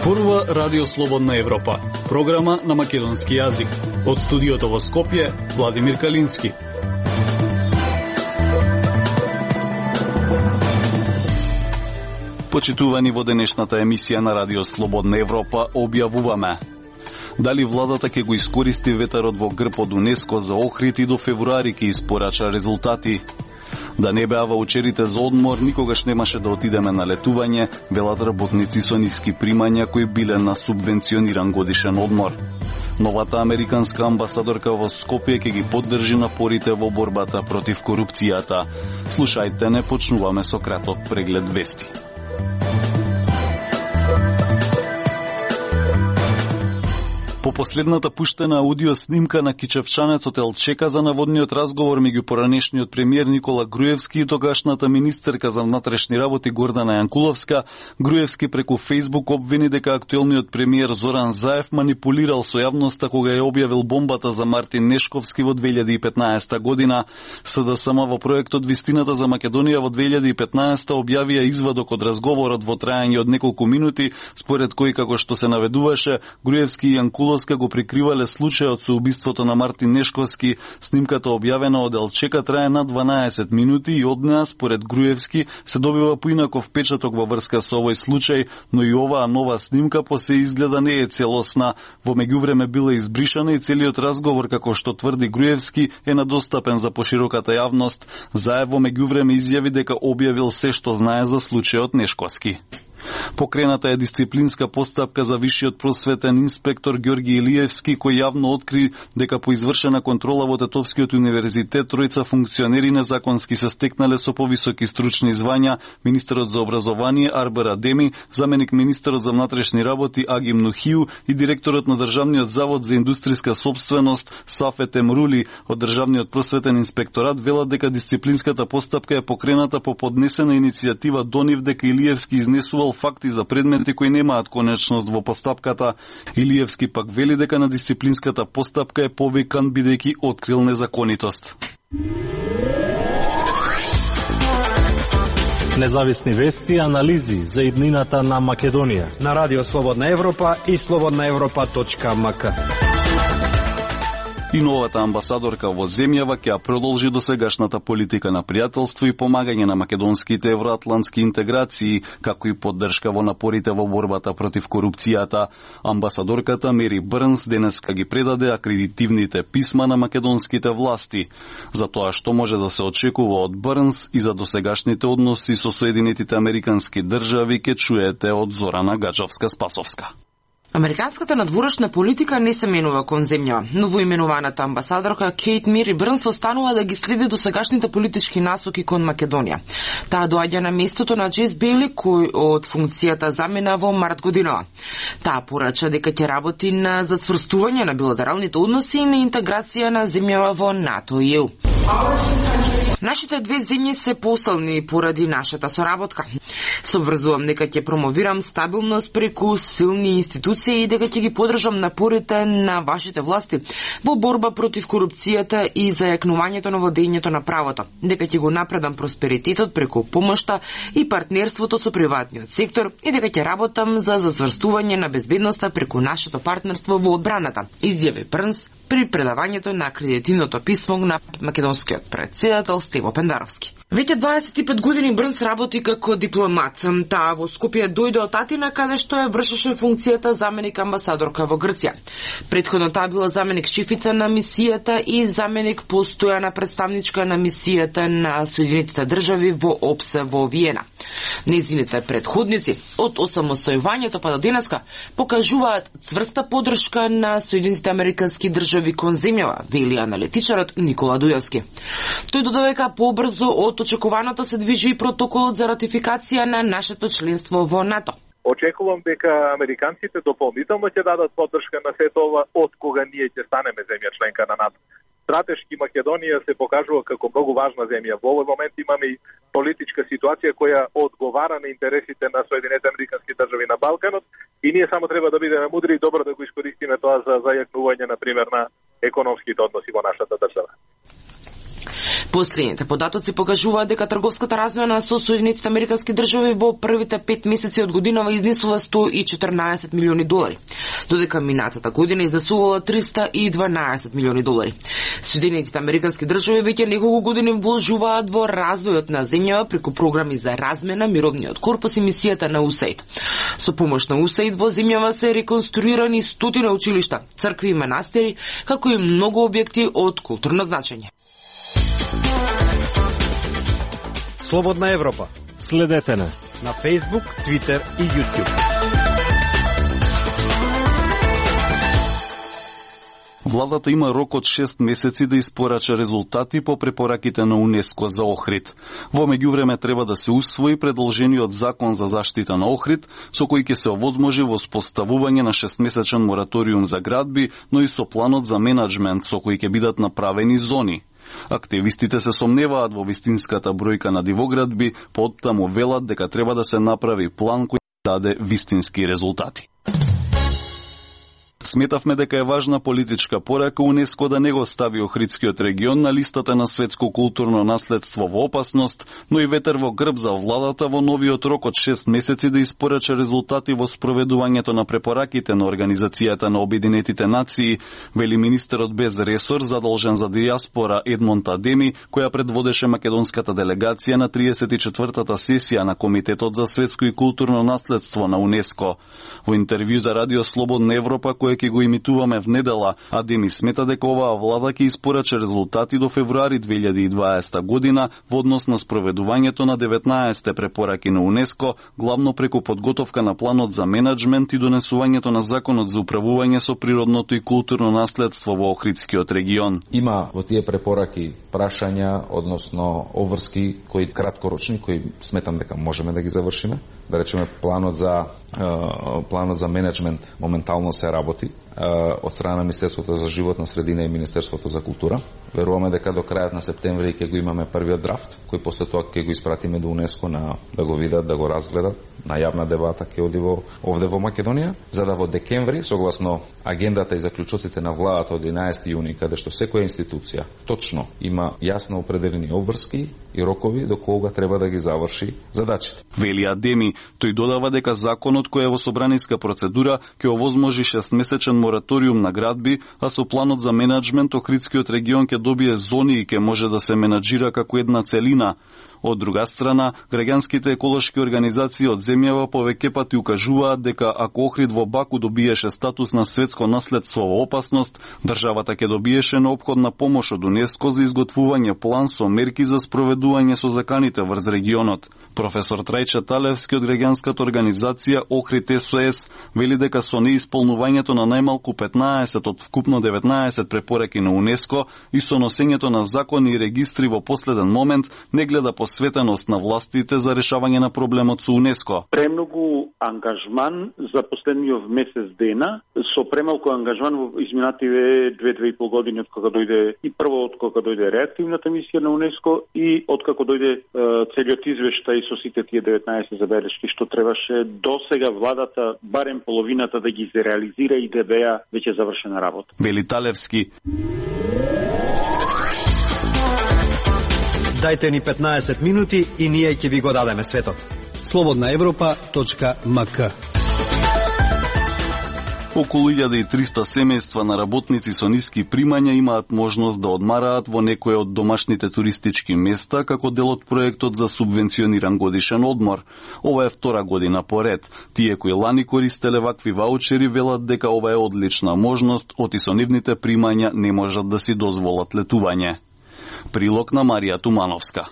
Зборува Радио Слободна Европа, програма на македонски јазик. Од студиото во Скопје, Владимир Калински. Почитувани, во денешната емисија на Радио Слободна Европа објавуваме: дали владата ќе го искористи ветерот во грб од УНЕСКО за Охрид и до февруари ќе испорача резултати. Да не беа ваучерите за одмор, никогаш немаше да отидеме на летување, велат работници со ниски примања кои биле на субвенциониран годишен одмор. Новата американска амбасадорка во Скопје ќе ги поддржи напорите во борбата против корупцијата. Слушајте, не почнуваме со краток преглед вести. По последната пуштена аудио снимка на кичевчанецот Елчека за наводниот разговор меѓу поранешниот премиер Никола Груевски и тогашната министерка за внатрешни работи Гордана Јанкуловска, Груевски преку Фејсбук обвини дека актуелниот премиер Зоран Заев манипулирал со јавноста кога ја објавил бомбата за Мартин Нешковски во 2015 година. СДСМ во проектот Вистината за Македонија во 2015 објавија извадок од разговорот во трајање од неколку минути, според кој, како што се наведуваше, Груевски и Јанкуловска го прикривале случајот со убиството на Мартин Нешковски. Снимката објавена од Елчека трае на 12 минути и од неа, според Груевски, се добива поинаков печаток во врска со овој случај, но и оваа нова снимка по се изгледа не е целосна. Во меѓувреме била избришана и целиот разговор, како што тврди Груевски, е надостапен за пошироката јавност. Заев во меѓувреме изјави дека објавил се што знае за случајот Нешковски. Покрената е дисциплинска постапка за висшиот просветен инспектор Ѓорги Илиевски, кој јавно откри дека по извршена контрола во Тетовскиот универзитет тројца функционери незаконски се стекнале со повисоки стручни звања: министерот за образование Арбер Адеми, заменик министерот за внатрешни работи Агим Нухиу и директорот на Државниот завод за индустријска сопственост Сафет Емрули. Од Државниот просветен инспекторат велат дека дисциплинската постапка е покрената по поднесена иницијатива до нив дека Илиевски изнесувал факти за предмети кои немаат конечност во постапката. Илиевски пак вели дека на дисциплинската постапка е повикан бидејќи открил незаконитост. Независни вести и анализи за иднината на Македонија на Радио Слободна Европа и slobodnaevropa.mk. И новата амбасадорка во земјава ќе продолжи досегашната политика на пријателство и помагање на македонските евроатлантски интеграции, како и поддршка во напорите во борбата против корупцијата. Амбасадорката Мери Брнс денеска ги предаде акредитивните писма на македонските власти. За тоа што може да се очекува од Брнс и за досегашните односи со Соединетите Американски држави ќе чуете од Зорана Гаджовска-Спасовска. Американската надворешна политика не се менува кон земја. Новоименуваната амбасадорка Кейт Мери Брнс останува да ги следи досегашните политички насоки кон Македонија. Таа доаѓа на местото на Джейс Бейли, кој од функцијата замина во март годинава. Таа порача дека ќе работи на зацврстување на билатералните односи и на интеграција на земјава во НАТО и ЕУ. Нашите две земји се посилни поради нашата соработка. Се обврзувам дека ќе промовирам стабилност преку силни институции и дека ќе ги поддржам напорите на вашите власти во борба против корупцијата и зајакнувањето на владењето на правото. Дека ќе го напредам просперитетот преку помошта и партнерството со приватниот сектор и дека ќе работам за зацврстување на безбедноста преку нашето партнерство во одбраната, изјави Брнс при предавањето на акредитивното писмо на македонскиот претседател Стево Пендаровски. Веќе 25 години Брнс работи како дипломат. Таа во Скопје дојде од Атина, каде што ја вршеше функцијата заменик амбасадорка во Грција. Претходно таа била заменик шефица на мисијата и заменик постојана представничка на мисијата на Соединетите држави во ОПСЕ во Виена. Незините предходници од осамостојувањето па до денеска покажуваат цврста поддршка на Соединетите Американски држави кон земјава, вели аналитичарот Никола Дујовски. Тој додава дека побрзо од очекуваното се движи и протоколот за ратификација на нашето членство во НАТО. Очекувам дека американците дополнително ќе дадат поддршка на сето ова од кога ние ќе станеме земја членка на НАТО. Стратешки Македонија се покажува како многу важна земја. Во овој момент имаме и политичка ситуација која одговара на интересите на Соединетите Американски држави на Балканот и ние само треба да бидеме мудри и добро да го искористиме тоа за зајакнување, на пример, на економските односи во нашата држава. Последните податоци покажуваат дека трговската размена со Соединетите Американски држави во првите 5 месеци од годинава изнесува $114 милиони, додека минатата година изнесувала $312 милиони. Соединетите Американски држави веќе неколку години вложуваат во развојот на земјава преку програми за размена, мировниот корпус и мисијата на USAID. Со помош на USAID во земјава се реконструирани стотина училишта, цркви и манастири, како и многу објекти од културно значење. Слободна Европа. Следете на Facebook, Twitter и YouTube. Владата има рок од 6 месеци да испорача резултати по препораките на УНЕСКО за Охрид. Во меѓувреме треба да се усвои предложениот закон за заштита на Охрид, со кој ќе се овозможи воспоставување на 6-месечен мораториум за градби, но и со планот за менаджмент со кој ќе бидат направени зони. Активистите се сомневаат во вистинската бројка на дивоградби, поттаму велат дека треба да се направи план кој даде вистински резултати. Сметавме дека е важна политичка порака УНЕСКО да не го стави Охридскиот регион на листата на светско културно наследство во опасност, но и ветер во грб за владата во новиот рок од 6 месеци да испорача резултати во спроведувањето на препораките на Организацијата на Обединетите нации, вели министерот без ресор задолжен за дијаспора Едмонд Адеми, која предводеше македонската делегација на 34-та сесија на Комитетот за светско и културно наследство на УНЕСКО. Во интервју за Радио Слободна Европа, кој ќе го имитуваме в недела, Адеми смета дека оваа влада ќе испорача резултати до февруари 2020 година во однос на спроведувањето на 19 препораки на УНЕСКО, главно преку подготовка на планот за менаджмент и донесувањето на законот за управување со природното и културно наследство во Охридскиот регион. Има во тие препораки прашања, односно обврски кои краткорочни, кои сметам дека можеме да ги завршиме. Да речеме планот за менеджмент моментално се работи од страна на Министерството за животна средина и Министерството за култура. Веруваме дека до крајот на септември ќе го имаме првиот драфт, кој после тоа ќе го испратиме до УНЕСКО да го видат, да го разгледат, на јавна дебата ќе оди овде во Македонија, за да во декември, согласно агендата и заклучоците на владата од 11 јуни, каде што секоја институција точно има јасно определени обврски и рокови до кога треба да ги заврши задачите. Вели Адеми, тој додава дека законот кој е во собраниска процедура ќе овозможи 6-месечен мораториум на градби, а со планот за менаджмент Охридскиот регион ќе добие зони и ќе може да се менаџира како една целина. Од друга страна, граѓанските еколошки организации од земјава повеќе пати укажуваат дека ако Охрид во Баку добиеше статус на светско наследство во опасност, државата ќе добиеше неопходна помош од УНЕСКО за изготвување план со мерки за спроведување со заканите врз регионот. Професор Трајче Талевски од граѓанската организација Охрид СОС вели дека со неисполнувањето на најмалку 15 од вкупно 19 препораки на УНЕСКО и со носењето на закони и регистри во последен момент не гледа посветеност на властите за решавање на проблемот со УНЕСКО. Премногу ангажман за последниот месец дена, со премалку ангажман во изминативе 2-2,5 години од кога дојде и прво од кога дојде реактивната мисија на УНЕСКО и од како дојде целиот извештај со сите тие 19 забелешки што требаше до сега владата барем половината да ги реализира и да беа веќе завршена работа. Вели Талевски. Дајте ни 15 минути и ние ќе ви го дадеме светот. slobodnaevropa.mk. Околу 1300 семејства на работници со ниски примања имаат можност да одмараат во некој од домашните туристички места како дел од проектот за субвенциониран годишен одмор. Ова е втора година поред. Тие кои лани користеле вакви ваучери велат дека ова е одлична можност, оти со нивните примања не можат да си дозволат летување. Прилог на Марија Тумановска.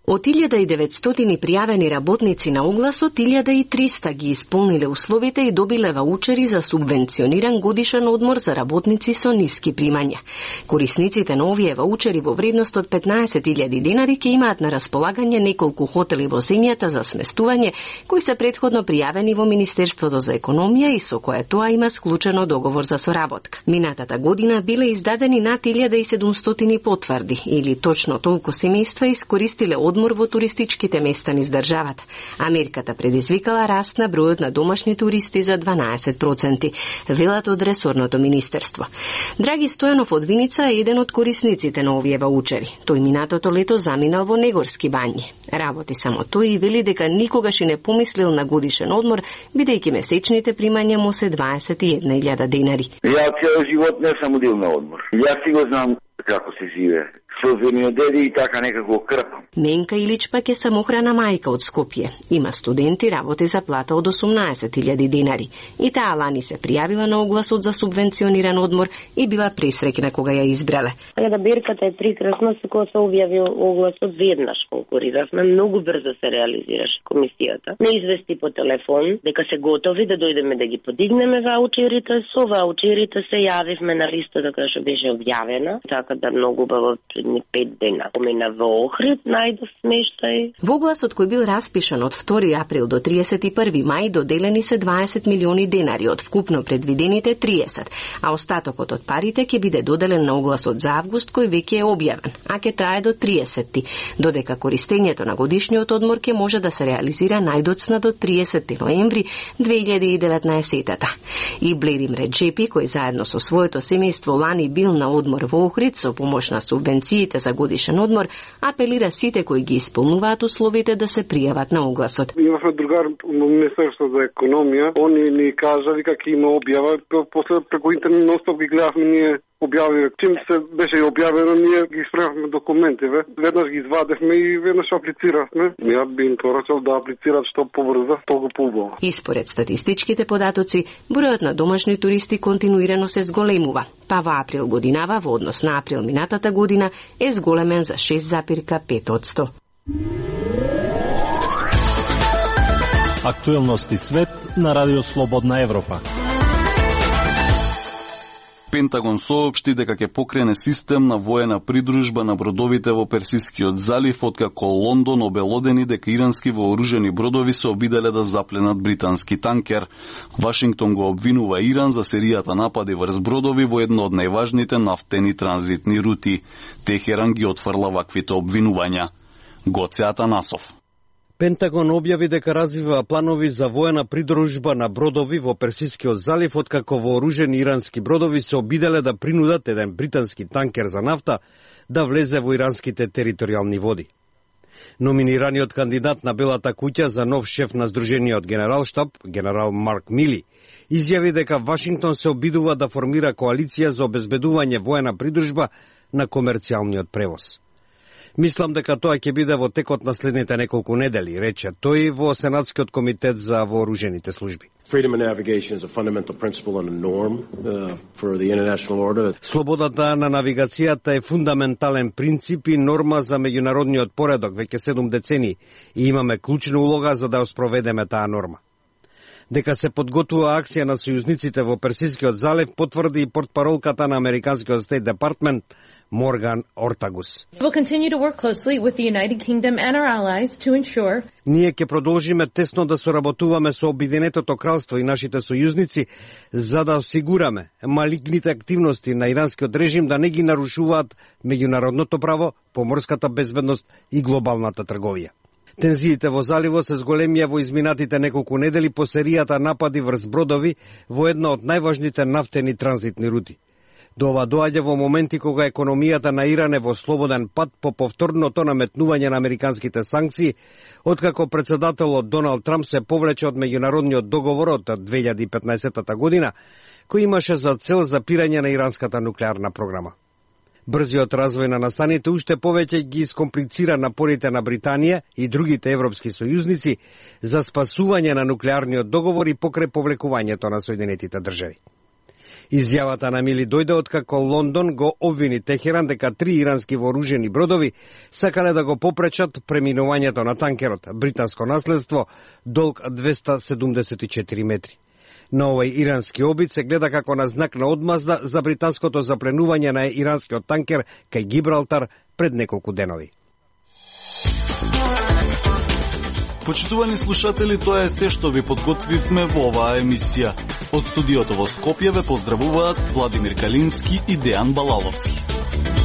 Од 1900 пријавени работници на огласот, 1300 ги исполниле условите и добиле ваучери за субвенциониран годишен одмор за работници со ниски примања. Корисниците на овие ваучери во вредност од 15.000 денари ќе имаат на располагање неколку хотели во земјата за сместување, кои се претходно пријавени во Министерството за економија и со кое тоа има склучено договор за соработка. Минатата година биле издадени над 1700 потврди, или точно толку семејства искористиле одмор одмор во туристичките места низ државата. Америката предизвикала раст на бројот на домашни туристи за 12%, велат од ресорното министерство. Драги Стојанов од Виница е еден од корисниците на овие ваучери. Тој минатото лето заминал во Негорски бањи. Работи само тој и вели дека никогаш и не помислил на годишен одмор, бидејќи месечните примања му се 21.000 денари. Ја цел живот не сам удел на одмор. Јас си го знам како се живее. Со земјоделие и така некако крпам. Ненка Илич пак е самохрана мајка од Скопје. Има студенти, работи за плата од 18.000 денари. И таа лани се пријавила на огласот за субвенциониран одмор и била пресреќна кога ја избрале. Кога берката е прекрасна, со кога се објави огласот веднаш конкуриравме, многу брзо се реализираше комисијата. Не извести по телефон дека се готови да дојдеме да ги подигнеме ваучерите. Со ваучерите се јавивме на листата која што беше објавена, така да многу убаво 5 дена. Помина во Охрид, најдов смештај. Во огласот кој бил распишан од 2 април до 31 мај доделени се 20 милиони денари од вкупно предвидените 30, а остатокот од парите ќе биде доделен на огласот за август кој веќе е објавен, а ќе трае до 30, додека користењето на годишниот одмор ќе може да се реализира најдоцна до 30 ноември 2019-та. И Блерим Реджепи, кој заедно со своето семејство лани бил на одмор во Охрид со помош на субвенциите за годишен одмор, апелира сите кои ги исполнуваат условите да се пријават на огласот. Имавме другар во Министерството за економија, они ни кажали како има објава, после преку интернет ностоп ги гледавме ние објавиве. Чим се беше објавено, ние ги исправивме документиве. Веднаш ги извадевме и веднаш аплициравме. Ја би им порачал да аплицират што побрзо, толку поубаво. И според статистичките податоци, бројот на домашни туристи континуирано се зголемува. Па во април годинава, во однос на април минатата година, е зголемен за 6,5%. Актуелности свет на Радио Слободна Европа. Пентагон соопшти дека ќе покрене систем на воена придружба на бродовите во Персискиот залив, откако Лондон обелодени дека ирански вооружени бродови се обиделе да запленат британски танкер. Вашингтон го обвинува Иран за серијата напади врз бродови во едно од најважните нафтени транзитни рути. Техеран ги отфрла ваквите обвинувања. Гоце Атанасов. Пентагон објави дека развива планови за воена придружба на бродови во Персискиот залив, откако вооружени ирански бродови се обиделе да принудат еден британски танкер за нафта да влезе во иранските територијални води. Номинираниот кандидат на Белата куќа за нов шеф на Сдружениот генералштаб, генерал Марк Мили, изјави дека Вашингтон се обидува да формира коалиција за обезбедување воена придружба на комерцијалниот превоз. Мислам дека тоа ќе биде во текот на следните неколку недели, рече тој во Сенатскиот комитет за вооружените служби. Слободата на навигацијата е фундаментален принцип и норма за меѓународниот поредок веќе 7 децении и имаме клучна улога за да ја спроведеме таа норма. Дека се подготвува акција на сојузниците во Персискиот залив потврди и портпаролката на Американскиот Стейт Департмент Морган Ортагус. Ние ќе продолжиме тесно да соработуваме со Обединетото кралство и нашите сојузници за да осигураме малигните активности на иранскиот режим да не ги нарушуваат меѓународното право, поморската безбедност и глобалната трговија. Тензиите во заливот се зголемија во изминатите неколку недели по серијата напади врз бродови во една од најважните нафтени транзитни рути. До ова доаѓа во моменти кога економијата на Иран е во слободен пат по повторното наметнување на американските санкции, откако председателот Доналд Трамп се повлече од меѓународниот договор од 2015 година, кој имаше за цел запирање на иранската нуклеарна програма. Брзиот развој на настаните уште повеќе ги искомплицира напорите на Британија и другите европски сојузници за спасување на нуклеарниот договор и покрај повлекувањето на Соединетите држави. Изјавата на Мили дојде откако Лондон го обвини Техеран дека 3 ирански вооружени бродови сакале да го попречат преминувањето на танкерот, британско наследство, долг 274 метри. На овој ирански обид се гледа како на знак на одмазда за британското запленување на иранскиот танкер кај Гибралтар пред неколку денови. Почитувани слушатели, тоа е се што ви подготвивме во оваа емисија. Од студиото во Скопје ве поздравуваат Владимир Калински и Дејан Балаловски.